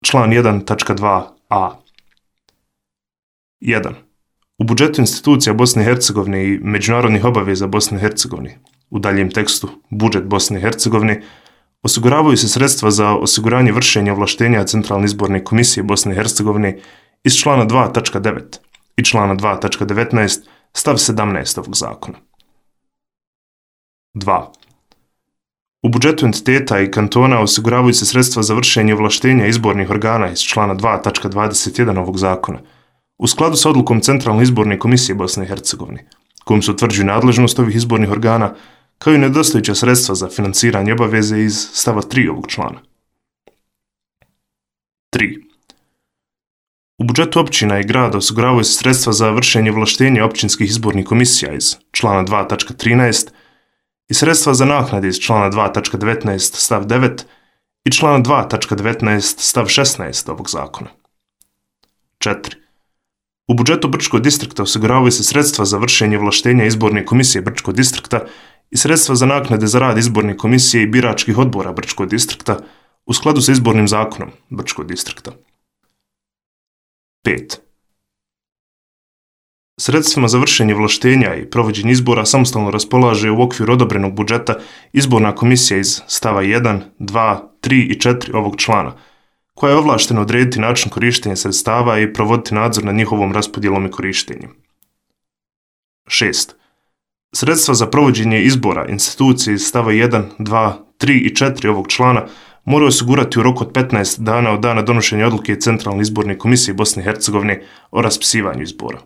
član 1.2a. 1. U budžetu institucija Bosne i Hercegovine i međunarodnih obaveza Bosne i Hercegovine, u daljem tekstu budžet Bosne i Hercegovine, osiguravaju se sredstva za osiguranje vršenja ovlaštenja Centralne izborne komisije Bosne i Hercegovine iz člana 2.9 i člana 2.19 stav 17 ovog zakona. 2. U budžetu entiteta i kantona osiguravaju se sredstva za vršenje ovlaštenja izbornih organa iz člana 2.21 ovog zakona, u skladu sa odlukom Centralne izborne komisije Bosne i Hercegovine, kojom se utvrđuje nadležnost ovih izbornih organa, kao i nedostajuća sredstva za financiranje obaveze iz stava 3 ovog člana. 3. U budžetu općina i grada osiguravaju se sredstva za vršenje ovlaštenja općinskih izbornih komisija iz člana 2.13 i sredstva za naknade iz člana 2.19 stav 9 i člana 2.19 stav 16 ovog zakona. 4. U budžetu Brčkog distrikta osiguravaju se sredstva za vršenje ovlaštenja izborne komisije Brčkog distrikta i sredstva za naknade za rad izborne komisije i biračkih odbora Brčkog distrikta u skladu sa izbornim zakonom Brčkog distrikta. 5. Sredstvima za vršenje ovlaštenja i provođenje izbora samostalno raspolaže u okviru odobrenog budžeta izborna komisija iz stava 1, 2, 3 i 4 ovog člana, koja je ovlaštena odrediti način korištenja sredstava i provoditi nadzor nad njihovom raspodjelom i korištenjem. 6. Sredstva za provođenje izbora institucije iz stava 1, 2, 3 i 4 ovog člana moraju osigurati u roku od 15 dana od dana donošenja odluke Centralne izborne komisije Bosne i Hercegovine o raspisivanju izbora.